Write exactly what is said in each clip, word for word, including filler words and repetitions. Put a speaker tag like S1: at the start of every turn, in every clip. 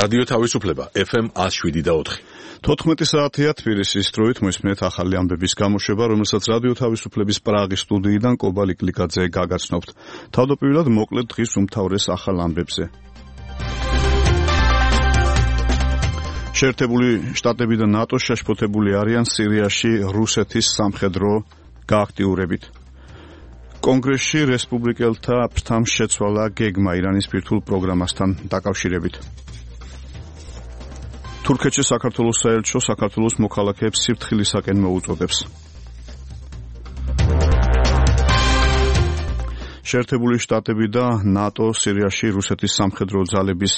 S1: რადიო თავისუფლება ეფ ემ one oh seven და four.
S2: თოთხმეტი საათია თბილისის დროით მოისმენთ ახალი ამბების გამოშვება, რომელსაც რადიო თავისუფლების პრაღის სტუდიიდან კობალი კლიკაძე გაგაცნობთ. თავდაპირველად მოკლედ დღის უმთავრეს ახალ ამბებზე. შეერთებული შტატები და ნატო შეშფოთებული არიან სირიაში რუსეთის სამხედრო გააქტიურებით. კონგრესში რესპუბლიკელთა ფრთამ შეცვალა გეგმა ირანის ბირთვულ პროგრამასთან დაკავშირებით. თურქეთში საქართველოს საელჩო საქართველოს მოქალაქეებს სიფრთხილისაკენ მოუწოდებს. შეერთებული შტატები და ნატო სირიაში რუსეთის სამხედრო ძალების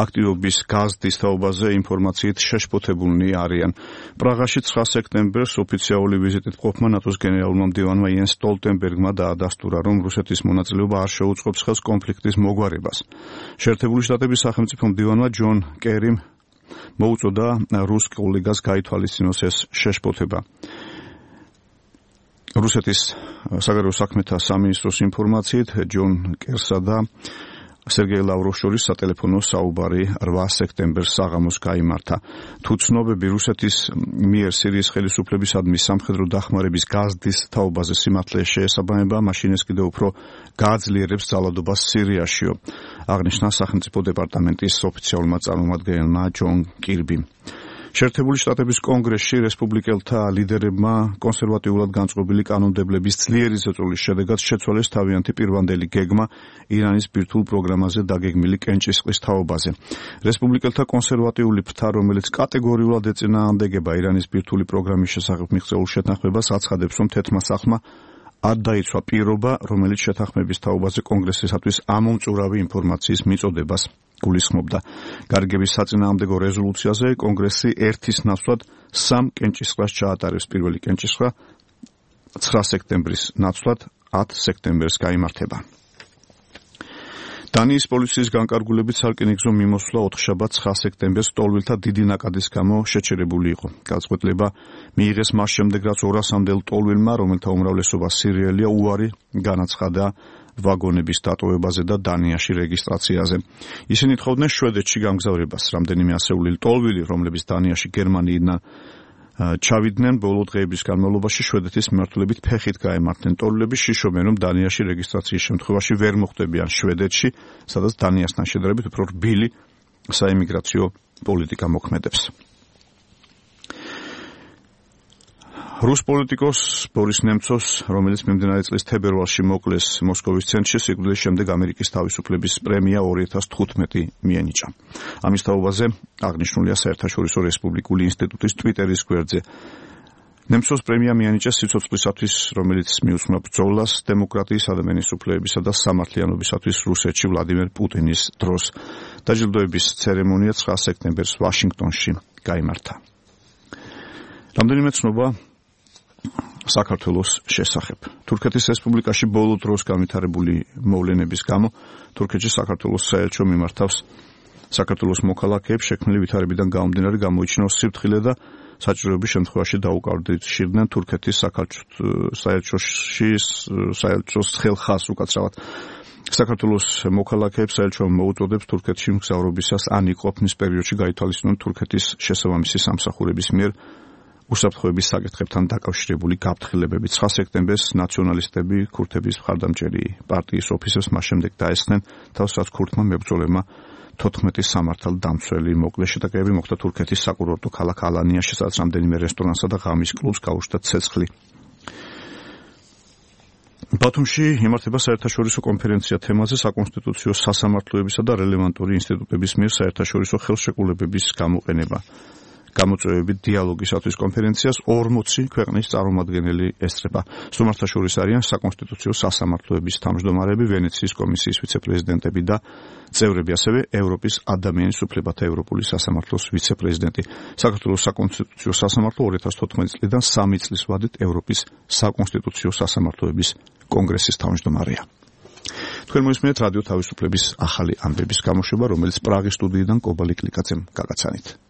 S2: აქტივობის გაზრდის თაობაზე ინფორმაციით შეშფოთებულნი არიან. პრაღაში ცხრა სექტემბერს ოფიციალური ვიზიტით ყოფმა ნატოს გენერალურმა მდივანმა იენს სტოლტენბერგმა დაადასტურა, რომ რუსეთის მონაწილეობა არ შეუწყობს ხელს კონფლიქტის მოგვარებას. შეერთებული შტატების სახელმწიფო მდივანმა ჯონ კერიმ მოუწოდა რუს კოლეგას გაითვალისწინოს ეს შეშფოთება. რუსეთის საგარეო საქმეთა სამინისტროს ინფორმაციით ჯონ კერსა და სერგეი ლავროვს შორის სატელეფონო საუბარი რვა სექტემბერს საღამოს გაიმართა. თუ ცნობები რუსეთის მიერ სირიის ხელისუფლებისადმი სამხედრო დახმარების გაზრდის თაობაზე სიმართლე შეესაბამება, მაშინ ეს კიდევ უფრო გააძლიერებს ძალადობას სირიაშიო, აღნიშნა სახელმწიფო დეპარტამენტის ოფიციალურმა წარმომადგენელმა ჯონ კირბიმ. შეერთებული შტატების კონგრესში რესპუბლიკელთა ლიდერებმა კონსერვატიულად განწყობილი კანონმდებლების ძლიერი ზეწოლის შედეგად შეცვალეს თავიანთი პირვანდელი გეგმა ირანის ბირთვულ პროგრამაზე დაგეგმილი კენჭისყრის თაობაზე. რესპუბლიკელთა კონსერვატიული ფრთა, რომელიც კატეგორიულად ეწინააღმდეგება ირანის ბირთვული პროგრამის შესახებ მიღწეულ შეთანხმებას, აცხადებს, რომ თეთრმა სახლმა არ დაიცვა პირობა, რომელიც შეთანხმების თაობაზე კონგრესისათვის ამომწურავი ინფორმაციის მიწოდებას გულისხმობდა. გარიგების საწინააღმდეგო რეზოლუციაზე კონგრესი ერთის ნაცვლად სამ კენჭისყრას ჩაატარებს. პირველი კენჭისყრა ცხრა სექტემბრის ნაცვლად ათ სექტემბერს გაიმართება. დანიის პოლიციის განკარგულებით სარკინიგზო მიმოსვლა ოთხშაბათ ცხრა სექტემბერს ტოლვილთა დიდი ნაკადის გამო შეჩერებული იყო. გადაწყვეტილება მიიღეს მას შემდეგ, რაც ორასამდელ ტოლვილმა, რომელთა უმრავლესობა სირიელია, უარი განაცხადა ვაგონების დატოვებაზე და დანიაში რეგისტრაციაზე. ისინი თხოვდნენ შვედეთში გამგზავრებას. რამდენიმე ასეული ტოლვილი, რომლებიც დანიაში გერმანიიდან ჩავიდნენ, ბოლო დღეების განმავლობაში შვედეთის მიმართულებით ფეხით გაემართნენ. ტოლვილები შიშობენ, რომ დანიაში რეგისტრაციის შემთხვევაში ვერ მოხვდებიან შვედეთში, სადაც დანიასთან შედარებით უფრო რბილი საიმიგრაციო პოლიტიკა მოქმედებს. რუს პოლიტიკოს ბორის ნემცოვს, რომელიც მიმდინარე წლის თებერვალში მოკლეს მოსკოვის ცენტრში, სიკვდილის შემდეგ ამერიკის თავისუფლების პრემია ორი ათას თხუთმეტი მიენიჭა. ამის თაობაზე აღნიშნულია საერთაშორისო რესპუბლიკური ინსტიტუტის ტვიტერის გვერდზე. ნემცოვს პრემია მიენიჭა სიცოცხლისათვის, რომელიც მიუძღვნა ბრძოლას დემოკრატიის, ადამიანის უფლებებისა და სამართლიანობისათვის რუსეთში ვლადიმერ პუტინის დროს. დაჯილდოების ცერემონია ცხრა სექტემბერს ვაშინგტონში გაიმართა. რამდენიმე ცნობა საქართველოს შესახებ. თურქეთის რესპუბლიკაში ბოლო დროს განვითარებული მოვლენების გამო თურქეთში საქართველოს საელჩო მიმართავს საქართველოს მოქალაქეებს შექმნილი ვითარებიდან გამომდინარე გამოიჩინოს სიფრთხილე და საჭიროების შემთხვევაში დაუკავშირდნენ თურქეთის საელჩოში საელჩოს ხელხას უკაცრავად. საქართველოს მოქალაქეებს საელჩომ მოუწოდებს თურქეთში მგზავრობისას ან იყოფნის პერიოდში გაითვალისწინონ თურქეთის შესაბამისი სამსახურების მიერ უსაფრთხოების საკითხებთან დაკავშირებული გაფრთხილებები. ცხრა სექტემბერს ნაციონალისტები ქურთების მხარდამჭერი პარტიის ოფისებს მას შემდეგ დაესხნენ თავს, რაც ქურთმა მებრძოლებმა თოთხმეტი სამართალდამცველი მოკლეს. შეტაკებები მოხდა თურქეთის საკურორტო ქალაქ ალანიაში, სადაც რამდენიმე რესტორანსა და ღამის კლუბს გაუშვდა ცეცხლი. ბათუმში იმართება საერთაშორისო კონფერენცია თემაზე საკონსტიტუციო სასამართლოებისა და რელევანტური ინსტიტუტების მიერ საერთაშორისო ხელშეკრულებების გამოყენება. გამოწვევები დიალოგისათვის კონფერენციას ორმოცი ქვეყნის წარმომადგენელი ესწრება. სტუმართაშორის არიან საკონსტიტუციო სასამართლოების თავმჯდომარეები, ვენეციის კომისიის ვიცე-პრეზიდენტები და წევრები, ასევე ევროპის ადამიანის უფლებათა ევროპული სასამართლოს ვიცე-პრეზიდენტი. საქართველოს საკონსტიტუციო სასამართლო ორი ათას თოთხმეტი წლიდან სამი წლის ვადით ევროპის საკონსტიტუციო სასამართლოების კონგრესის თავმჯდომარეა. თქვენ მოისმენთ რადიო თავისუფლების ახალი ამბების გამოშვება, რომელიც პრაღის სტუდიიდან კობალი კლიკაძემ გაგაცანით.